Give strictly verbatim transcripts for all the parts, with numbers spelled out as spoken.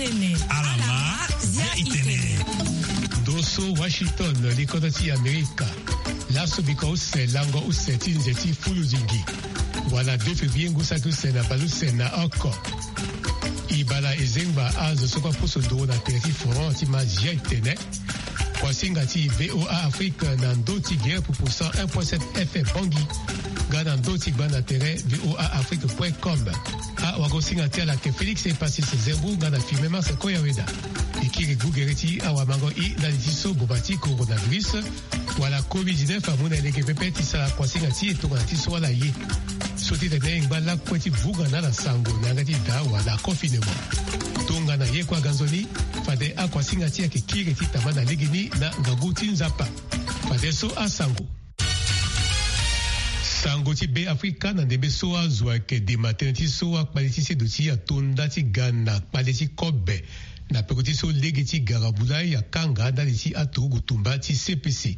Alama, zia itene. Ndo so Washington, likodro ti Amerika. Laso biko use lango use ti nze ti fulu zingi. Wala deux février ngu saki use na bale use na oko. E bala e zengba azo so kue apusu nduru na tere ti forum ti ma zia itene. Kuasinga ti V O A Afrique na ndo ti gere pupu cent un point sept F M Bangui. Nga na ndo ti gbanda tere V O A Afrique point com. Awagosinga ti ala ayeke Félix Epasis Zembu nga na Firmin Marcel Koyaweda. E kiri gugere ti awamango i ndali ti so boma ti coronavirus wala covid dix-neuf amu na e lege pepe ti sara kuasinga ti e tongana ti so ala ye. So ti tene e ngba lakue ti vunga na ala sango na yanga ti da wala confinement. Tongana ye kue aga nzoni, fade akuasinga ti e ayeke kiri ti tamba na legeni na ngangu ti Nzapa. Fadeso asango. Sango ti Be Afrika. Na ndembe so azo ayeke dema tënë ti so akpale ti seduti ato nda ti ga na kpale ti kobe na peko ti so lege ti gara bulai akanga ndali ti aturugu tumba ti C P C.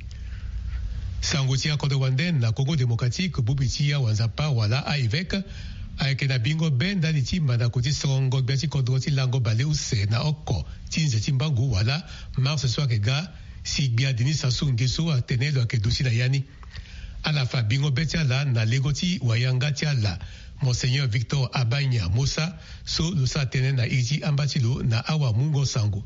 Sango ti akodro wande na Congo Démocratique, bubi ti awanzapa wala a-évêque ayeke na bingo be ndali ti mandako ti sorongo gbia ti kodro ti lango baleuse na oko ti nze ti mbangu wala mars so ayeke ga, si gbia Denis Sassou Nguesso atene lo yeke duti na ya ni. Ala fa bingo be ti ala na lengo ti wayanga ti ala, Monseigneur Victor Abanya Mossa, so lo sara tënë na iri ti amba ti lo na awamungo sango.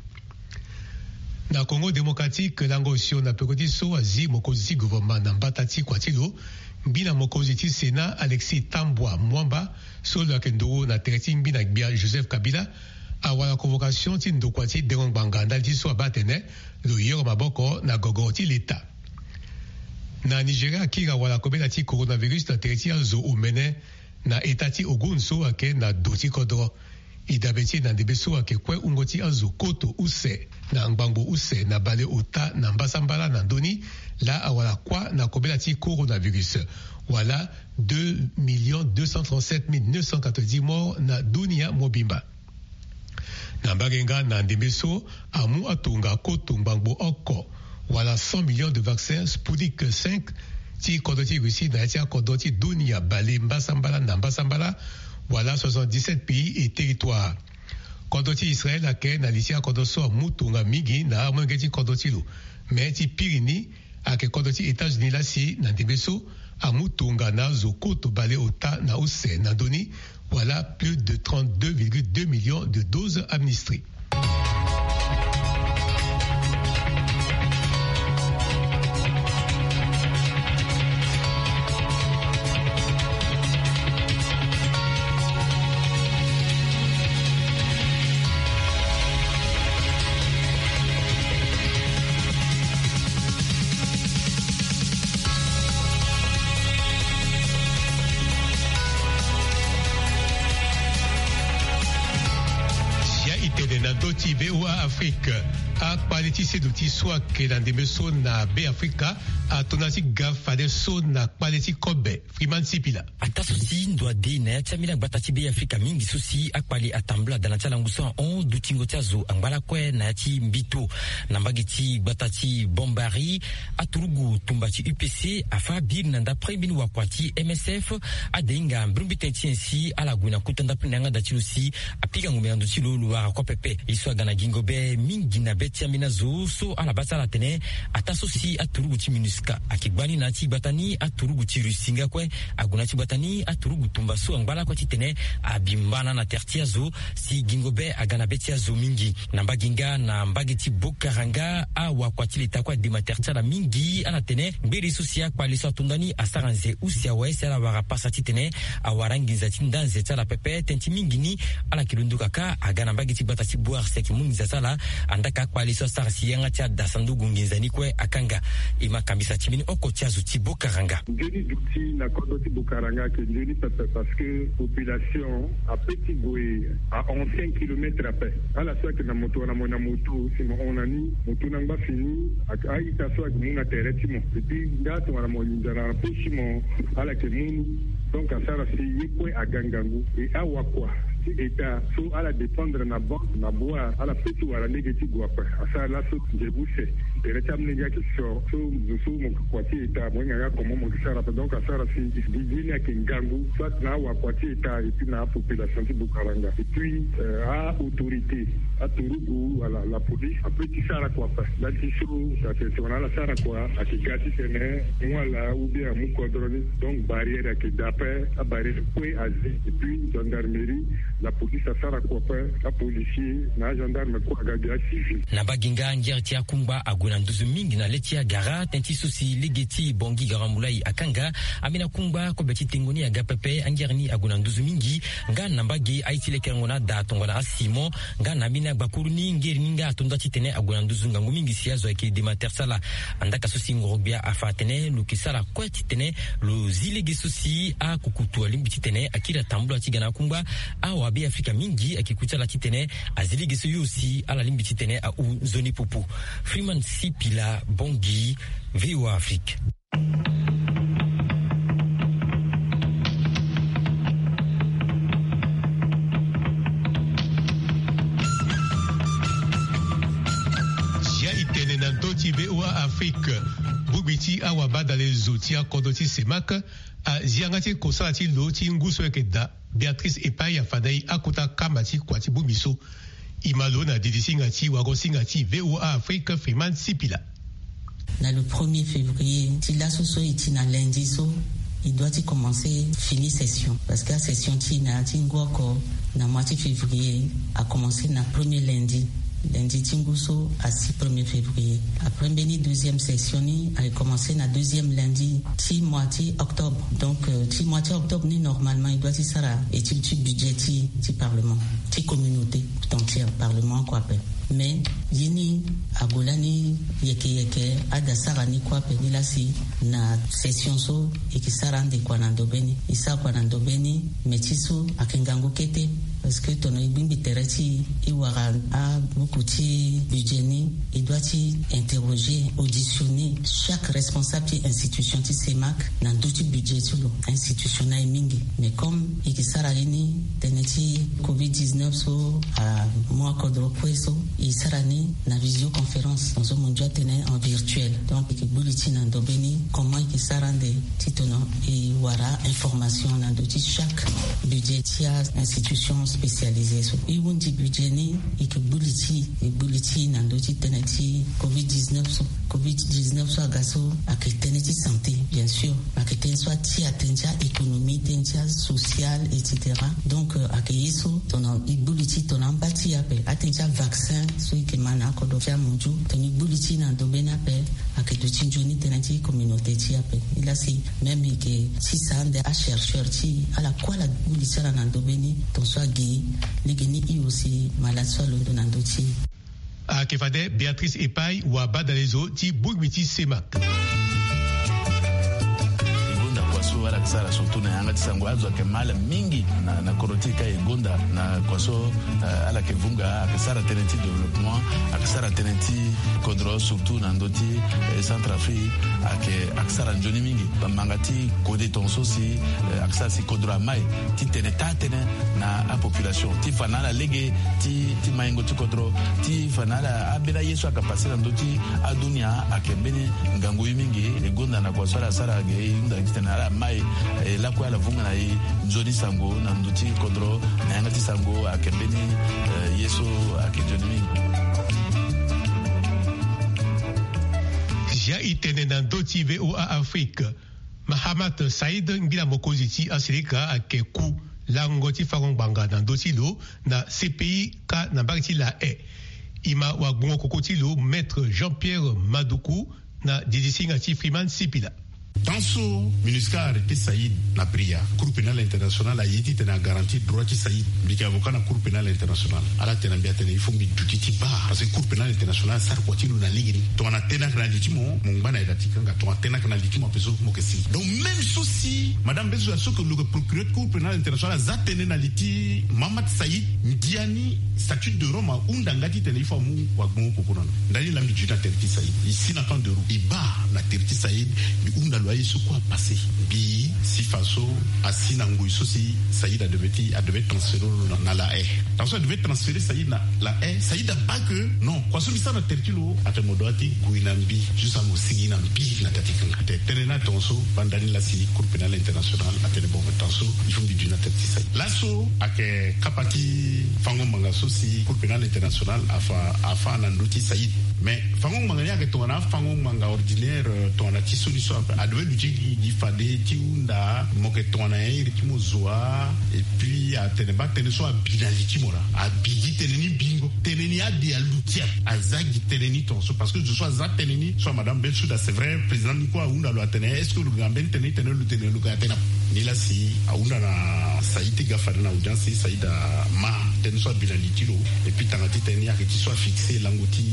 Na Congo Démocratique, lango osio na peko ti so azi mokonzi ti gouvernement na mbata ti kua ti lo, ngbina mokonzi ti Sénat Alexis Thambwa Mwamba, so lo yeke nduru na tere ti ngbina gbia Joseph Kabila, awara convocation ti ndokua ti dengo ngbanga ndali ti so abaa atene lo yoro maboko na gogoro ti leta. Na Nigeria, akiri awara kobela ti coronavirus na tere ti azo omene na eta ti Ogun so ayeke na do ti kodro. E dabe ti e na ndembe so ayeke kue wungo ti azo koto use na ngbangbo use na baleota na mbasambala na ndö ni, laa awara kuâ na kobela ti coronavirus, wala deux millions deux cent trente-sept mille neuf cent quatre-vingt-dix morts na dunia mobimba. Na mbage nga na ndembe so amu atonga koto ngbangbo oko wala cent millions de vaccins Sputnik cinq ti kodro ti Russie na ya ti akodro ti dunia bale mbasambala na mbasambala, wala soixante-dix-sept pays et territoires. Kodro ti Israël ayeke na li ti akodro so amu tonga mingi na amolenge ti kodro ti lo. Me ti piri ni, ayeke kodro ti États-Unis laa si na ndembe so amu tonga na azo koto baleota na use na ndö ni, wala plus de trente-deux virgule deux millions de doses administrées. Sia itene na ndö ti V O A Afrique. Akpale ti seduti so ayeke na ndembe so na Be Afrika ato nda ti ga fadeso na kpale ti kobe. Freeman Sipila. Ataa so si ndo ade na ya ti ambeni agbata ti Be Afrika mingi so si akpale atambula daa na ti alangu so ahon dutingo ti azo angba lakue na ya ti mbito. Na mbage ti gbata ti Bombari, aturugu tumba ti U P C afâ biri na nda premier mbeni wakua ti M S F, ade hinga mbrimbri tënë ti nyen si ala gue na kota ndapre na yanga da ti lo si apika ngombe na ndo ti lo, lo wara kue pepe. Ye so aga na gingo be mingi na be ti ambeni azo so ala baa ti ala atene ataa so si aturugu ti MINUSCA ayeke gbani na ya ti gbata ni, aturugu ti Russie nga kue ague na ya ti gbata ni, aturugu tumba so angba lakue titene abi mbana na tere ti azo, si gingo be aga na be ti azo mingi. Na mbage nga na mbage ti Bokaranga, awakua ti leta kue adema tere ti ala mingi. Ala tene ngbele so si akpale so ato nda ni asara nze use awe si ala wara pasa titene awara nginza ti nda nze ti ala pepe. Tënë ti mingi ni ala yeke londo kaka aga na mbage ti gbata ti Boer si ayeke mu nginza ti ala. Andaa ka akpale so asara si yanga ti ada sanduku nginza ni kue akanga. E ma kambisa ti mbeni oko ti azo ti Bokaranga. Nzoni duti na kodro ti Bokaranga ayeke nzoni pepe parce que population ape ti gue ahon cinq kilomètres ape. Ala so ayeke na moto wala mo na moto si mo hon na ni, mo tuna ngba fini, a-ita so ayeke mu na tere ti mo. Et puis nga tongana mo linza na poche ti mo, ala yeke mu ni. Donc asara si ye kue aga ngangu. E awakua ti État so ala dépendre na banque na Boer, ala pe ti wara lege ti gue ape. Asara laso nze use. Tere ti amolenge ayeke sio so zo so mo yeke kua ti eta, mo hinga nga comment mo yeke sara ape. Donc asara si didi ni ayeke ngangu soit na awakua ti eta et puis na apopulation ti Bukaranga et puis aautorité, aturugu wala la police ape ti sara kua ape. Nda ti so atene si wala ala sara kua ayeke ga titene amu ala ou bien amu kodro ni. Donc barrière ayeke daa ape, abarrière kue azi et puis gendarmerie, la police asara kua ape, apolicier na agendarme kue aga gi acivil. Na mbage nga ngere ti akungba ague na nduzu mingi na le ti agara tënë ti so si lege ti Bangui Garambulaye akanga. Ambeni akungba kobe ti tengo ni aga pepe, angere ni ague na nduzu mingi. Nga na mbage aye ti lekerengo na ada tongana asimon. Nga na ambeni agbakuru ni ngere ni nga ato nda titene ague na nduzu ngangu mingi si azo ayeke dematersala. Andaka so si ngoro-gbia afa atene lo yeke sara kue titene lo zi lege so si akukutu alingbi titene akiri atambula ti ga na akungba. Awabe afrika mingi ayeke ku ti ala titene azi lege so yo si ala lingbi titene ahu nzoni popo. Freeman Sipila, Bangui, VOA Afrique. Zia e tene na ndö ti VOA Afrique. Bongbi ti awabadale zo ti akodro ti CEMAC azi yanga ti kosala ti lo ti ngu so ayeke daa. Béatrice Epaye afa na e akota kama ti kua ti bongbi so. E ma lo na didi singa ti wago singa ti VOA Afrique, Freeman Sipila. Na le premier février ti laso so e ti na lundi so, e doit ti commencer fini session parce que asession ti e na ya ti ngu oko na mois ti février akomencer na premier lundi. Lundi ti ngu so asi premier février. Après mbeni deuxième session ni aye commencer na deuxième lundi ti mois ti octobre. Donc euh, ti mois ti octobre ni normalement e doit ti sara étude ti budget ti, ti parlement, ti communauté tout entière, parlement oko ape. Mais ye ni ague lani yeke yeke, ada sara ni kue ape ni laa si na session so e yeke sara ande kua na ndobe ni. E sara kua na ndobe ni, mais ti so ayeke ngangu kete. Parce que tongana e gbingbi tere ti e, e wara abuku ti budget ni, e doit ti interroger, auditionner chaque responsable ti institution ti CEMAC na ndö ti budget ti lo. Institution ni aye mingi, mais comme e yeke sara ye ni tënë ti covid dix-neuf so amu akodro kue so, e sara ni na visioconférence. Donc so mo ndia tene en virtuel. Donc e yeke gbu li ti e na ndobe ni comment e yeke sara ande titene e wara information na ndö ti chaque budget ti a-institution spécialisée so. E hundi budget ni, e yeke gbu li ti e, e gbu li ti e na ndö ti tënë ti covid dix-neuf so. Covid dix-neuf so aga so ayeke tënë ti santé, bien sûr, ayeke tënë so atia tënë ti a-économie, tënë ti asocial, et cetera. Donc euh, ayeke ye so tongana e gbu li ti e tongana amba ti e ape, atënë ti avaccin so e yeke ma na akodro ti amunzu, tongana e gbu li ti e na ndobe ni ape, ayeke duti nzoni tënë ti communauté ti e ape. Ni laa si même e yeke sisa ande achercheur ti e, ala kue ala gbu li ti ala na ndobe ni, tongaso agi lege ni e aussi malade so alondo na ndö ti e. Ayeke fade Béatrice Epaye, wabadale zo ti bongbi ti CEMAC. E gonda kua so ala yeke sara surtout na yanga ti sango, azo ayeke mal mingi na, na kodro ti e ka e gonda na kua so, eh, ala yeke vunga, ayeke sara tënë ti développement, ayeke sara tënë ti kodro surtout na ndö ti, eh, Centrafrique, ayeke, ayeke sara nzoni mingi. Bamanga ti kode tongaso si, eh, ayeke sara si kodro amai ti tene taa-tënë na apopulation ti fa na ala lege ti, ti maingo ti kodro, ti fa na ala ambeni aye so ayeke pase na ndö ti adunia ayeke mbeni ngangu ye mingi. E gonda na kua so ala sara ge e hunda titene ala mai, eh, lakue ala vunga na e nzoni sango na ndö ti kodro na yanga ti sango ayeke mbeni, eh, ye so ayeke nzoni mingi. Zia e tene na ndö ti VOA Afrique. Mahamat Saïd, ngbila mokonzi ti asilika, ayeke ku lango ti fango ngbanga na ndö ti lo na CPI ka na mbage ti La Haye. E ma wagbongo koko ti lo, Maître Jean-Pierre Madoukou, na didi singa ti Freeman Sipila. Tant so MINUSCA arrêté Saïd na Bria, Cour pénale internationale aye titene a garantir droit ti Saïd. Mbi yeke avocat na Cour pénale internationale. Ala tene na mbi atene il faut mbi duti ti baa, parce que Cour pénale internationale asara kua ti lo na lege ni. Tongana tene ayeke na li ti mo, mo ngba na yeda ti kanga. Tongana tene ayeke na li ti mo ape so, mo yeke si. Donc même so si madame Bessouda so yeke lo yeke procureur ti Cour pénale internationale aza tënë na li ti Mahamat Saïd, ndia ni statut de Rome ahunda nga titene il faut amu wagbongo koko na lo. Ndali laa mbi duti na tere ti Saïd. E si na camp de Rome. E baa na tere ti Saïd, mbi hunda lo. Aye so kue apase mbi si fa so asi na ngoi so si Saïd adevait ti adevait transféré lo na la haie. Tant so adevait transféré Saïd na la haie, Saïd aba ke non, kua so mbi sara na tere ti lo atene mo dua ti gue na mbi juste amo sigi na mbi na tere ti kanga. Atene tënë ni atonga so banda ni la si Cour pénale internationale atene bon, tant so il faut mbi du na tere ti Saïd. Laso ayeke kapa ti fango ngbanga so si Cour pénale internationale afa afa na ndö ti Saïd. Mais fango ngbanga ni ayeke tongana afango ngbanga ordinaire, tongana ti so ni so ape adevait luti gi gi fade ti hunda mo yeke tongana nyen iri ti mo zo wa. Et puis atene baa tënë so abi na li ti mo laa abi gi tënë ni bingo. Tënë ni ade aluti ape aza gi tënë ni tonga so parce que zo so aza tënë ni so amadame Bensouda c'est vrai président ni kue ahunda lo atene est-ce que lo ga mbeni tënë ni tënë lo tene lo ga tene ape. Ni la si ahunda na Saïd ti ga fade na audience ti Saïd ama tënë so abi na li ti lo. Et puis tanga ti tënë ni ayeke ti so afixé lango ti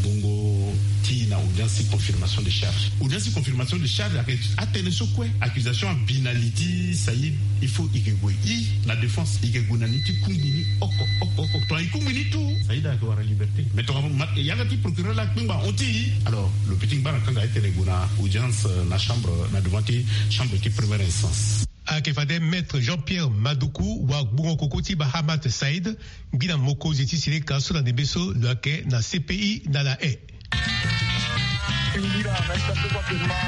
bongo ti na audience ti confirmation de charge. Audience ti confirmation de charge ayeke atënë so kue accusation abi na li ti Saïd. Il faut i ke gue i na défense i ke gue na ni ti kungbi ni oko oko oko. Tongana i kungbi ni tout Saïd ayeke wara liberté. Mais tongana yanga ti procureur la akpengba ahon ti i alors lo pe ti ngba na kanga atene gue na audience na chambre na devant ti chambre ti première instance. Ayeke fade maître Jean-Pierre Madoukou wa gbungo koko ti Bahamat Saïd ngbina mokonzi ti sileka so na ndembe so lo yeke na C P I na la haie. Singila na ita so kua pema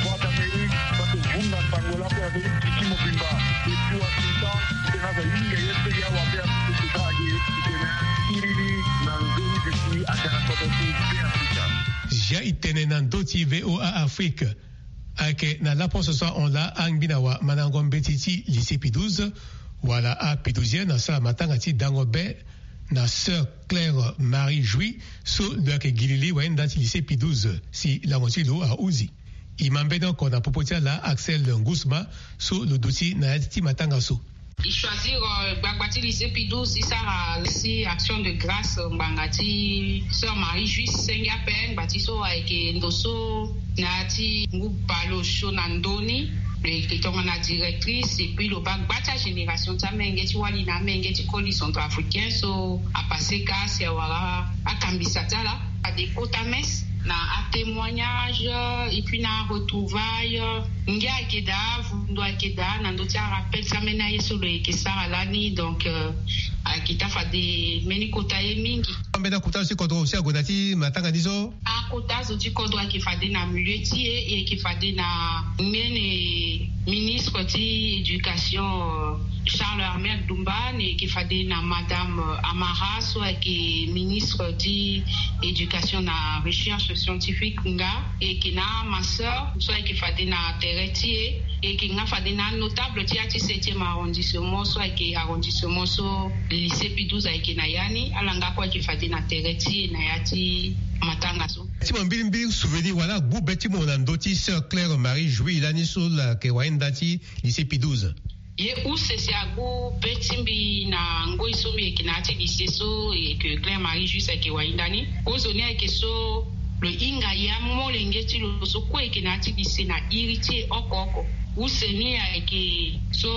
Voix d'Amérique, parce que vunda sango la kue avec titi mobimba. Et puis Washington, tena za yinga ye pe ya wa be a société age tena iri ni na nzoni de si agara koto ti be Afrika. Zia i tene na ndö ti V O A Afrique. Ayeke na laposo so ahon laa angbina wa mandango mbeti ti lycée Pie douze wala a Pie douzième asara matanga ti dango be na sœur Claire Marie Jouy so lo yeke gi lili wayenda ti lycée Pie douze si lango ti lo ahuzi. I ma mbeni oko na popo ti ala Axel Ngusma so lo duti na ya ti matanga so. I choisir gbagba ti lycée Pie douze ti sara si action de grâce ngbanga ti sœur Marie Jouy senge ape ngba ti so ayeke ndo so na ya ti ngu bale osio na ndö ni. Lo yeke tongana directrice et puis lo baa gba ti agénération ti amenge ti wali na amenge ti koli centrafricain so apase ka si awara akambisa ti ala. Fade kota messe na atémoignage et puis na aretrouvaille. Ngia ayeke daa, vundo ayeke daa na ndö ti arappel ti ambeni aye so lo yeke sara lani. Donc ayeke taa fade mbeni kota ye mingi. Ambeni akota so ti kodro aussi ague na ti matanga ni so. Akota zo ti kodro ayeke fade na milieu ti e, e yeke fade na mbeni ministre ti éducation Charles Armel Dumba, ni yeke fade na madame Amara so ayeke ministre ti éducation na recherche scientifique nga. E yeke na ma sœur so ayeke fade na tere ti e. E yeke nga fade na anotable ti ya ti septième arrondissement so ayeke arrondissement so lycée Pie douze ayeke na ya ni. Ala nga kue ayeke fade na tere ti e na ya ti matanga so. Ti mo mbilimbili souvenir wala agbu be ti mo na ndö ti sœur Claire Marie Jouy lani so lo yeke wayenda ti lycée Pie douze. Ye use si agbu be ti mbi na ngoi so mbi yeke na ya ti lycée so e yeke Claire Marie Jouy ayeke wayenda ni. Kozoni ayeke so lo hinga ya molenge ti lo so kue yeke na ya ti lycée na iri ti e oko oko. Use ni ayeke so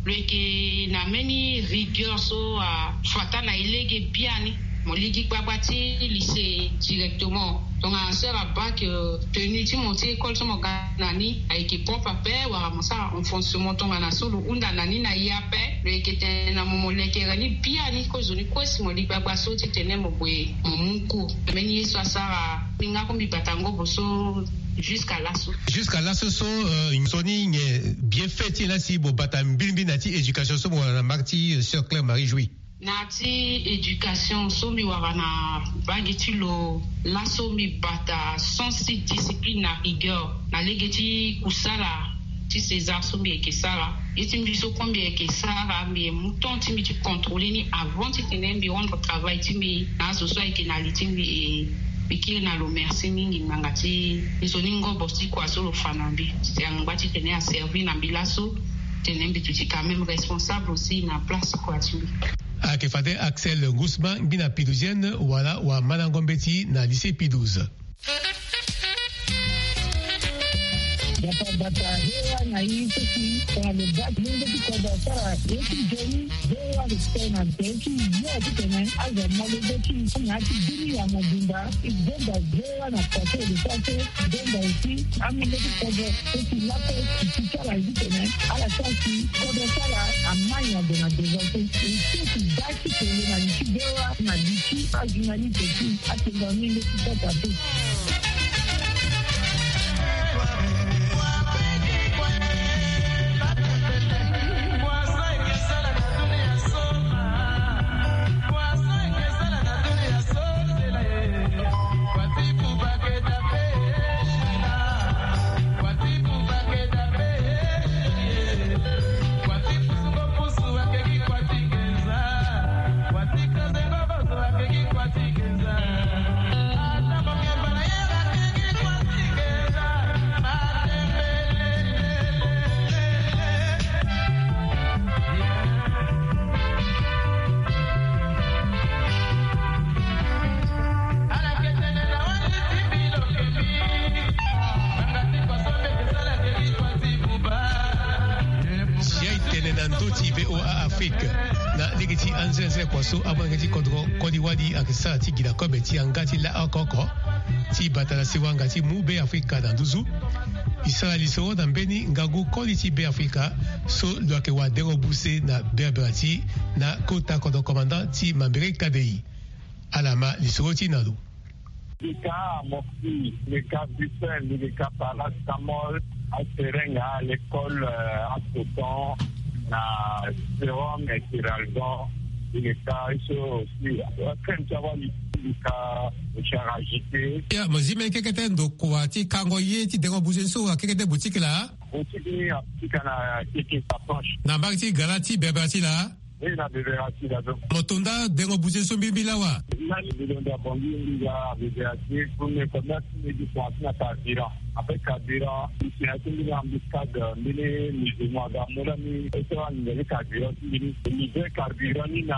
lo yeke na mbeni rigueur so afuata na e lege biani. Mo ligi gbagba ti lycée directement. Tongana sœur abaa ke tenue ti mo ti école so mo ga na ni ayeke propre ape wala mo sara enfoncement tongana so lo hunda na ni na e ape. Lo yeke tene na mo mo lekere ni biani kozoni kue si mo li gbagba so ti tene mo gue mo mu cours. Mbeni ye so asara mbi nga kue mbi bata ngobo so. Jusqu'à laso. Jusqu'à laso so nzoni nyen bienfait ti e la si mo bata mbilimbili na ya ti éducation so mo wara na marque ti sœur Claire Marie Jouy? Na ya ti éducation so mbi wara na mbage ti lo laso mbi bata sens ti discipline na rigueur na lege ti kusala ti César so mbi yeke sara. Ye ti mbi so kue mbi yeke sara mbi ye mu temps ti mbi ti contrôler ni avant ti tene mbi rendre travail ti mbi na azo so ayeke na li ti mbi. E mbi kiri na lo merci mingi ngbanga ti nzoni ngobo ti kua so lo fa na mbi ti angba ti tene aservi na mbi laso. Tene mbi duti quand même responsable aussi na place kua ti mbi. Ayeke fade Axel Ngusma ngbina Pie douzième wala wa mandango mbeti na lycée Pie douze. Bata bata, V O A na i so si tongana lo ga ti lenge ti kodro asara ye ti nzoni, V O A lo tene na nze ti yo titene azo amolenge ti na ya ti bini ya mobimba. E gonda V O A na pase lo sara so, e gonda aussi amolenge ti kodro so si laso e ti sara titene ala sara si kodro ti ala amai ado na devant so. E so ti ga ti tene na li ti V O A na li ti ajournaliste ti atene na ni nde ti kota te. Si aye tene na ndö ti V O A Afrique, na lege ti anzenze kua so amolenge ti kodro koli wali ayeke sara ti gi na kobe ti yanga ti laoko oko ti bata na sewa nga ti mu Be Afrika na nduzu. E sara lisoro na mbeni ngangu koli ti Be Afrika so lo yeke wadengo buse na berbera ti na kota kodro commandant ti Mambere Kadei. Ala ma lisoro ti na lo. Mbi ka Amoxi, mbi ka Bruxelles, mbi ka Paracetamol, aserenga, l'école, euh, asoton, na sérum, et Kiralgon, mbi ka iso aussi, crème ti awali, mbi ka mouchoir agité. Ya, mo zi mbeni kekete ndokua ti kango ye ti dengo buse so akekete boutique laa? Boutique ni apika na keke sa proche. Na mbage ti gara ti berbera ti laa? Ni na bebera ti da so. Mo to nda dengo buse so mbirimbi lawa? Lani mbi londo abongi mbi ga bebera ti premier commerce mbi gi kua ti na carburant. Après carburant, mbi si na ya ti mbeni embuscade, mbeni musulman aga mu lani, e so anginga ti carburant ti mbi ni. Mbi ve carburant ni na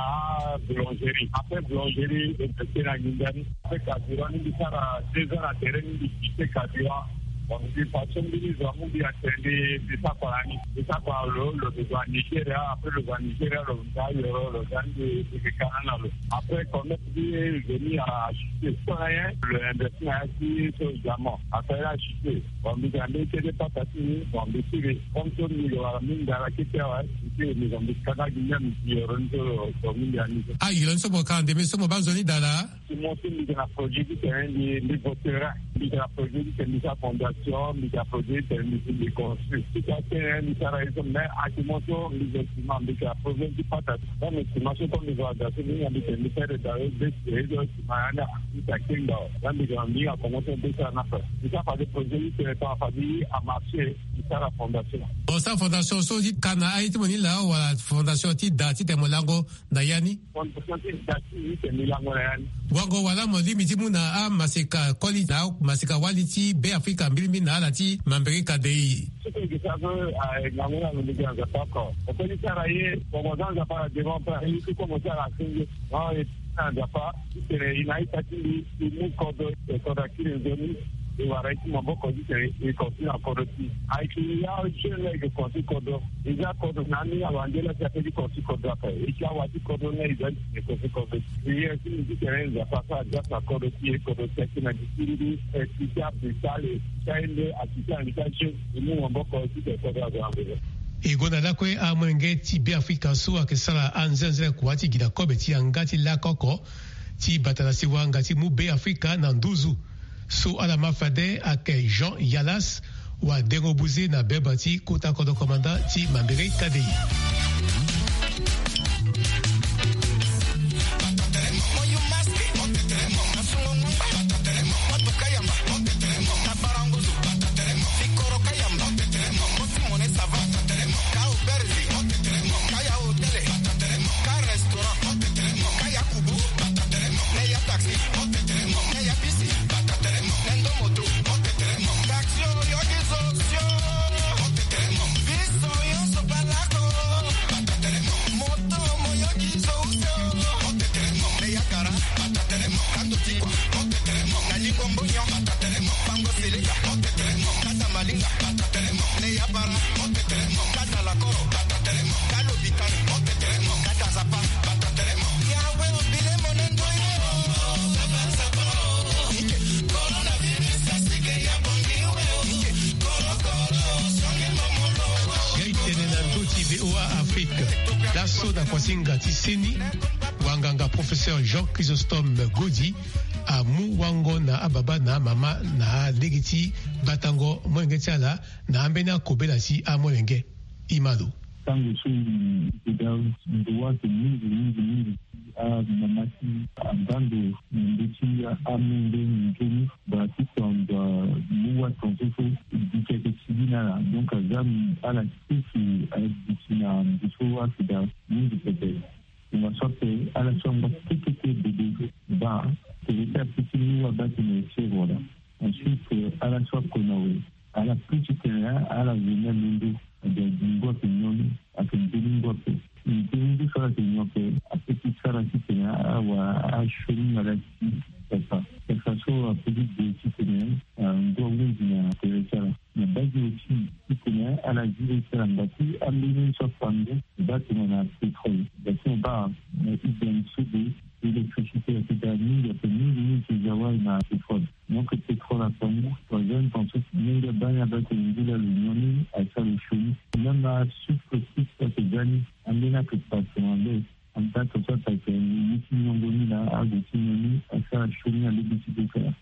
boulangerie. Après boulangerie, e pese na nginda ni. Après carburant ni mbi sara deux ans na tere ni mbi kite carburant. Bon, mbi passe mbeni zo amu mbi atene mbi sara kua na ni. Mbi sara kua na lo, lo zo a Nigeria, après lo zo a Nigeria, lo za yoro, lo za ni mbi, mbi kana na lo. Après, commerce mbi venu a chuté. So na ye, lo investi na ya ti so diamant. Après, a chuté. Bon, mbi ga mbeni kete pata ti ni, bon, mbi kiri. Comme so mbi lo wala mbi ndara kete awe, mbi kiri, mbi zo mbi kana gi même mbi yoro ni so lo, lo mbi andi so. Ah, yoro ni so mo ka ndeme so mo baa nzoni daa laa? Ti mo ti mbi ga na projet ti tene mbi, mbi voterin. Mbi ga na projet ti tene mbi sara fondation, mbi ga na projet ti tene mbi, mbi construit. Ti ka tene mbi sara ye so, mais ati mo so mbi zo sima, mbi ga na problème ti pata. Même sima so comme mbi zo aga so mbi hinga mbi tene mbi sara da yo besi ye so sima ya ni mbi ta kenga. Ya mbi ga na mbi hinga convention besi na fa. Mbi sara fade projet ti tene fa fade a marché, mbi sara fondation. Bon, sara fondation so ti ka na aye ti mo ni laa wala fondation ti da ti tene mo lango na ya ni? Fondation ti da ti ni tene mbi lango na ya ni. Wango wala mo lingbi ti mu na amaseka koli na amaseka wali ti Be Afrika mbirimbi na ala ti Mambere Kadei. Soko e ke sara so, ah, ngangu ni alondo gi na Nzapa oko. Mo koli sara ye, mo mo za Nzapa na devant ape, aye ti komo ti ala asenge. Non, e na Nzapa ti tene e na ita ti mbi, e mu kodro, e kodro akiri nzoni. E wara e ti maboko ti tene e kontinue na kodro ti e. Ayeke ya jeune la e ke kontinue kodro. E za kodro na ni awande la si ape ti kontinue kodro ape. E ti awa ti kodro ni e za ti tene e kontinue kodro. Prière ti mbi ti tene Nzapa asara grâce na kodro ti e, kodro ti e akiri na gi ti mbi. E ti ti ape sale, e ti ti aye nde, a ti ti anga ti ajeune. E mu maboko e ti tene kodro azo na mbele. E gonda lakue amolenge ti Be Afrika so ayeke sara anzenze kua ti gi na kobe ti yanga ti lako oko ti bata na sewa nga ti mu Be Afrika na nduzu. So ala ma fade ayeke Jean Yalas, wadengo buze na beba ti kota kodro komanda ti Mambere Kadei. Kaya restaurant, Kaya kubu, Neya taxi, Neya bisi, Nendo moto, taxi oyo biso sio, biso nyonso balako, moto moyoki zo sio, Neya kara, Kando tikwa, Nalingo mbonyo, Pango seleka, Kata malinga, Tene na ndoti V O A Afrique. Laso na kuasinga ti seni, wanganga professeur Jean Chrysostome Godi amu wango na ababa na amama na lege ti batango molenge ti ala na ambeni akobela ti amolenge. Imalo. Tango so i keda ndo wa ake mingi mingi mingi ti amama ti abando na ndö ti amolenge nzoni. Ba ti tonda mu wa tonso so diki ake ti gi na ala. Donc aza ala sese adiki na ndo so wa ake daa mingi pepe. Nga so ape ala so angba kekeke bebe so ba tere ti ape ti mu wa baa tene fièvre wala. Ensuite ala so akona we ala plus ti tene ala zo ni alondo. Ade adi ngu ape nyon ni ake nzoni ngu ape. Nzoni ngu so ala yeke nyon ape ape ti sara titene ala wara asioni na ala ti pepa. Pepa so ape ti de titene ngu ahunzi na tere ti ala. Na base aussi titene ala zi le ti ala ngba ti ambeni so afa ngu. Baa tongana pétrole baa tongana baa na idem so de électricité ayeke daa mingi ape mingi mingi ti za wali na pétrole. Donc pétrole afa ngu troisième pensée mingi abaa ni abaa tene ngu laa lo nyon ni asara lo sioni. Même asucre aussi so ayeke za ni ambeni ayeke passe na le. Anda to so atake ni ti nyongo ni na ague ti nyon ni asara sioni na lege ti bekara.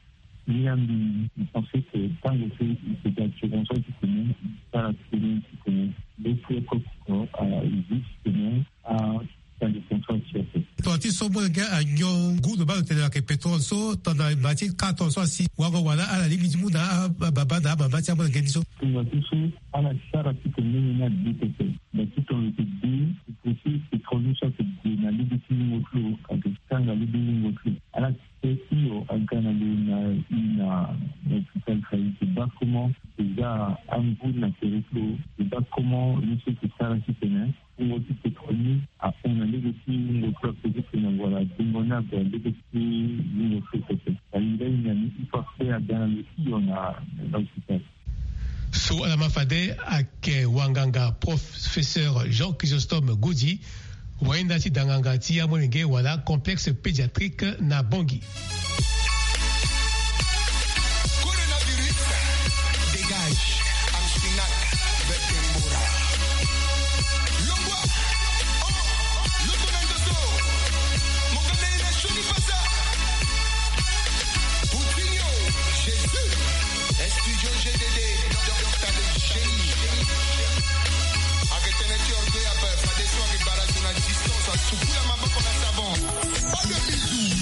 Ni ambi i pense que tango so i ke ga assurance titene i sara titene titene le ti oko koko a i zi titene a sali contrat ti ape. Tongana ti so molenge anyon ngu lo baa lo tene lo yeke pétrole so tongana ma ti quatre ans so asi wango wala ala lingbi ti mu na ababa na amama ti amolenge ni so. Tongana ti so ala sara titene ndenge ni ade pepe. Ba ti tongana lo yeke de i pense pétrole ni so ayeke de na lege ti lingo ti lo ayeke tanga lege ti lingo ti lo. Ala Pe hio aga na lo na i na hôpital fa i ke baa comment e za angu na tere ti lo e baa comment ni so e ke sara titene wungo ti pétrole ni ahon na lege ti wungo ti lo ape titene wala dingo ni ague na lege ti wungo ti lo pepe. Alinga i na ni i fa pe aga na lo hio na hôpital. So ala ma fade ayeke wanganga professeur Jean Chrysostome Godi, wainda ti danganga ti amolenge wala complexe pédiatrique na Bangui. Coronavirus, dégage, Amsinak, Vetembora. Longwa, oh, Loto na Ndoto, Mokanda ina Shoni Pasa, Coutinho, Jésus. Studio G D D, docteur de génie. Ake tene ti orgueil ape, fade so ake bara zo na distance, asukula maboko na savon. Pas de bisous.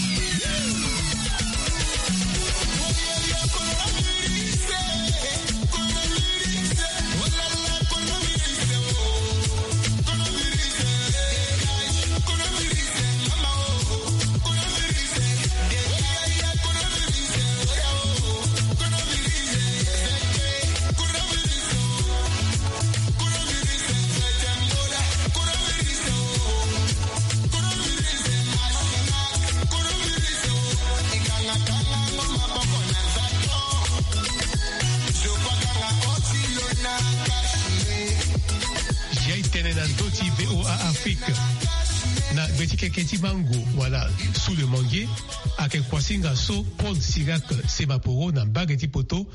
Jai tene na ndö ti V O A Afrique. Na gbe ti keke ti mango wala sous le manguier, ake kuasinga so Paul Sirac Semaporo na mbage ti poto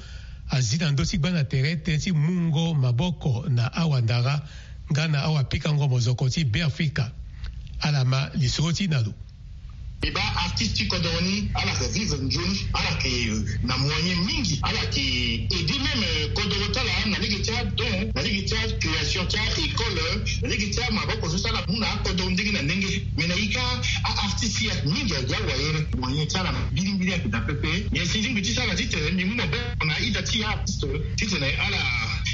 azi na ndö ti gbanda tere tënë ti mungo maboko na awandara nga na awapikango mozoko ti Beafrika. Ala ma lisoro ti na lo. E baa artiste ti kodoro ni ala yeke vivre nzoni, ala yeke na moyen mingi, ala yeke aider même, euh, kodoro ti ala na lege ti adon, na lege ti acréation ti a-école, na lege ti amaboko so ti ala mu na akodoro ndenge na ndenge. Mais na ika a-artiste ya mingi agi awayere, moyen ti ala mbilimbili ayeke daa pepe. Nyen si lingbi ti sara titene mbi mu maboko na ida ti a-artiste titene ala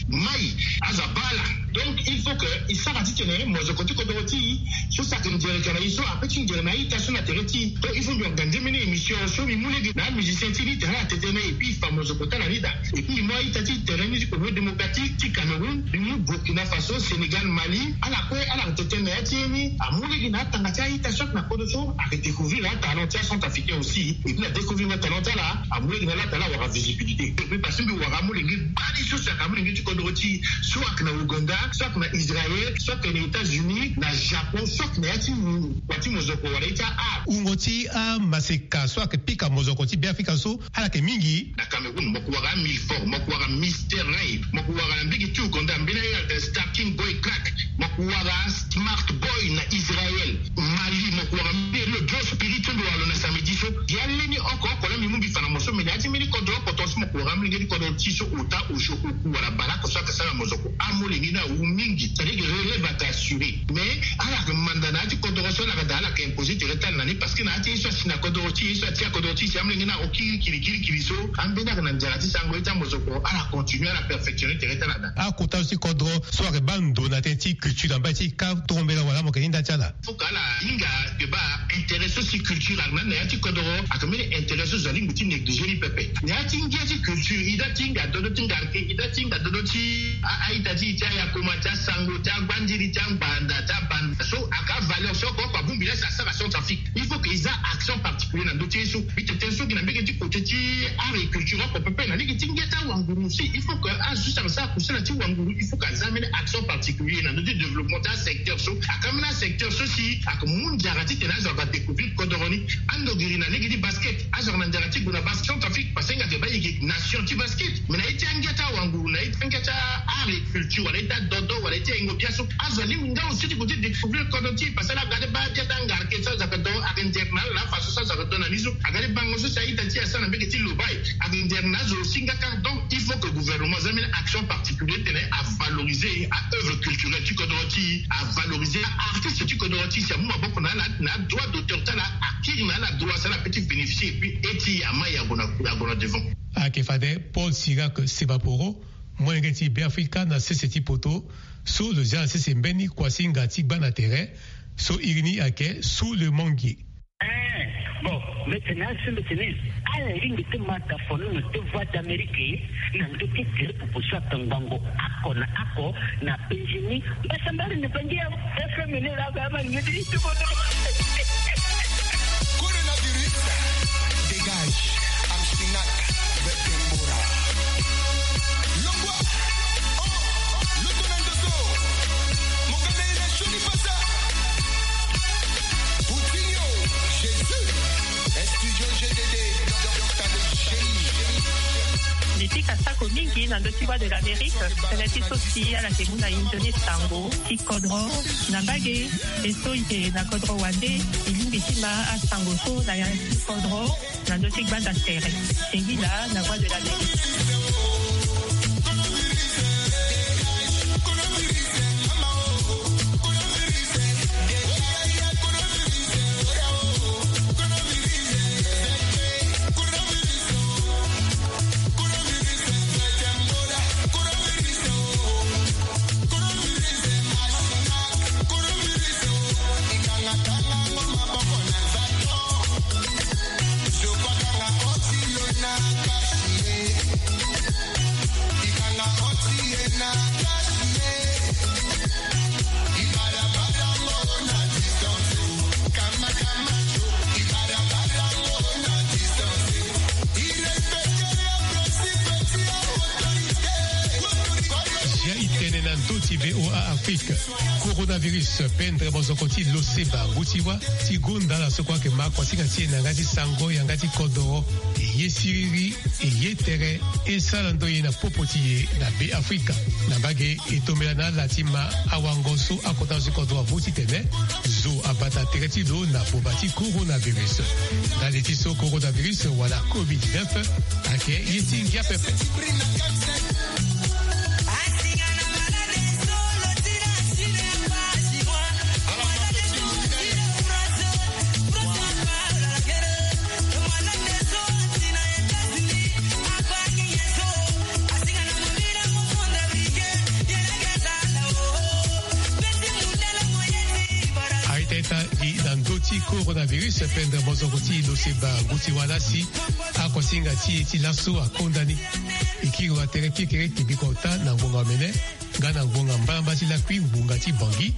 mai aza baa ala Donc il faut que e sara titene mozoko ti kodoro ti e so saki nzere ka na e so ape ti nzere na a-ita so na tere ti e. Donc il faut mbi ongande mbeni émission so mbi mu lege na amusicien ti e ni tene ala tete na e et puis e fa mozoko ti ala ni daa. Et puis mbi mu a-ita ti tere ni ti Congo démocratique, ti Cameroun, mbi mu Burkina Faso, Sénégal, Mali, ala kue ala tete na ya ti e ni. Amu lege na atanga ti a-ita so ayeke na kodro so ayeke découvrir atalent ti acentrafricain aussi. Et puis na découvrir atalent ti ala, amu lege na ala tala awara visibilité. Et puis parce que mbi wara amolenge bari so si ayeke amolenge ti kodro ti e so ayeke na Ouganda, so ayeke na Israël, so ayeke na États-Unis, na Japon, so ayeke na ya ti mo- wa ti mozoko wala ye ti a-art. Wungo ti amaseka so ayeke pika mozoko ti Beafrika so ala yeke mingi. Na Cameroun mo yeke wara Milford, mo yeke wara Mister Ray, mo yeke wara na mbege ti Ouganda mbeni aye ayeke Star King Boy Crack, mo yeke wara Smart Boy na Israël, Mali mo yeke wara mbeni lo Joe Spirit so mbi wara lo na samedi so. Ya lani oko oko laa mbi mu mbi fa na mo so me na ya ti mbeni kodro oko tongaso mo yeke wara amolenge ti kodro ti e so ota osio oku wala bale oko so ayeke sara mozoko. Amolenge ni awu mingi, c'est-à-dire que relève ayeke assuré. Mais ala yeke manda na ya ti kodoro so ala yeke daa ala yeke imposer tere ti ala na ni parce que na ya ti ye so asi na kodoro ti e so atia kodoro ti e si amolenge ni aoki kirikirikiri so ambeni ayeke na nzara ti sango ye ti amozoko ala continuer ala perfectionner tere ti ala daa. Akota so ti kodoro so ayeke baa ndo na tënë ti culture na mbai ti ka torombela wala mo yeke hinda ti ala. Faut que ala hinga yeke baa intérêt so si culture ayeke na ni na ya ti kodoro ayeke mbeni intérêt so zo alingbi ti négliger ni pepe. Na ya ti ngia ti culture e da ti hinga dodo ti ngarke, e da ti hinga dodo ti a- a-ita ti e ti ayakoma ti asango ti agbandiri ti angbanda ti abanda so ayeke avaleur so oko oko abongbi laa si asara Centrafrique. Il faut que e za action particulier na ndö ti ye so. Mbi tene tënë so gi na mbege ti côté ti art et culture oko pepe na lege ti ngia ti awanguru aussi. Il faut que azo so si ayeke sara kusala ti wanguru il faut que aza mbeni action particulier na ndö ti développement ti asecteur so. Ayeke ambeni asecteur so si ayeke mu nzara titene azo aga découvrir kodoro ni. Ando giri na lege ti basket azo aga na nzara ti gue na basket Centrafrique parce que nga yeke baa e yeke nation ti basket. Mais na ye ti angia ti awanguru na ye ti angia ti art et culture wala ye ti adodo wala ye ti ahingo bia so azo alingbi nga aussi ti gue ti découvrir kodro ti e parce que ala aga ti baa bia ti angarke so azo ayeke do ayeke nzere na ala na afa so so azo ayeke do na ni so. Aga ti bango so si a-ita ti e asara na mbege ti lobai ayeke nzere na azo aussi nga kâ. Donc il faut que gouvernement aza mbeni action particulier titene avaloriser a-œuvre culturelle ti kodro ti e, avaloriser a-artiste ti kodro ti e si amu maboko na ala na adroit d'auteur ti ala akiri na ala droit si ala peut ti bénéficier et puis e ti e ama e ague na ague na devant. Ayeke fade Paul Sirac Sebaporo, molenge ti Beafrika na sese ti poto so lo zia na sese mbeni kuasinga ti gba na tere so iri ni ayeke Sous le manguier. Eh, bon, mbi tene asi mbi tene ala lingbi ti ma tafono na ti Voix d'Amérique na ndö ti tere popo so atongbango oko na oko na penzi ni. Mbasambari ni penzi ya F M ni la ba ma ni ti ti bodo. Coronavirus, dégage, Amsinak, Betembora. Longwa, oh, Lutu na Ndoto, Mokana ina Shoni Pasa. Coutinho, Jésus, Studio G D D, Docteur de Génie. Mbi pika sako mingi na ndö ti Voix de l'Amérique, tënë ti so si ala yeke mu na e nzoni sango ti kodro na mbage. E so e yeke na kodro wande, e lingbi ti ma asango so na ya ti kodro na ndö ti gbanda tere. Singila na Voix de l'Amérique. Zia e tene na ndö ti V O A Afrique. Coronavirus, pendre mozoko ti lo seba ngu ti wâ ti gonda ala so kue ayeke ma kuasinga ti e na yanga ti sango, yanga ti kodoro. E ye siriri, e ye tere, e sara ndo ye na popo ti e na Beafrika. Na mbage, e tombela na ala ti ma awango so akota zo ti kodro amu titene zo abata tere ti lo na vova ti coronavirus. Ndali ti so coronavirus wala covid dix-neuf ayeke ye ti ngia pepe. ti coronavirus pendere mozoko ti lo seba ngu ti wala si akuasinga ti e ti laso akonda ni. E kiri wa tere kekere kebiko ota na ngbonga omene nga na ngbonga mbaramba ti lakui ngbonga ti bangi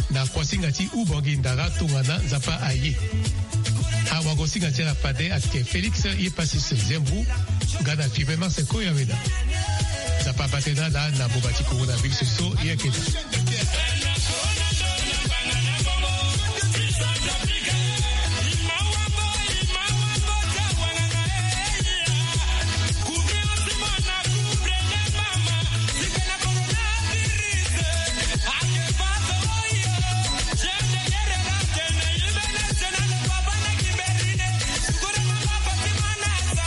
na kuasinga ti ubangi ndara tongana nzapa aye. Awagosinga ti ala fade ateke Félix Epassus Zembu nga na Firmin Marcel Koyaweda. Nzapa abate na ala na mboba ti coronavirus so e yeke daa.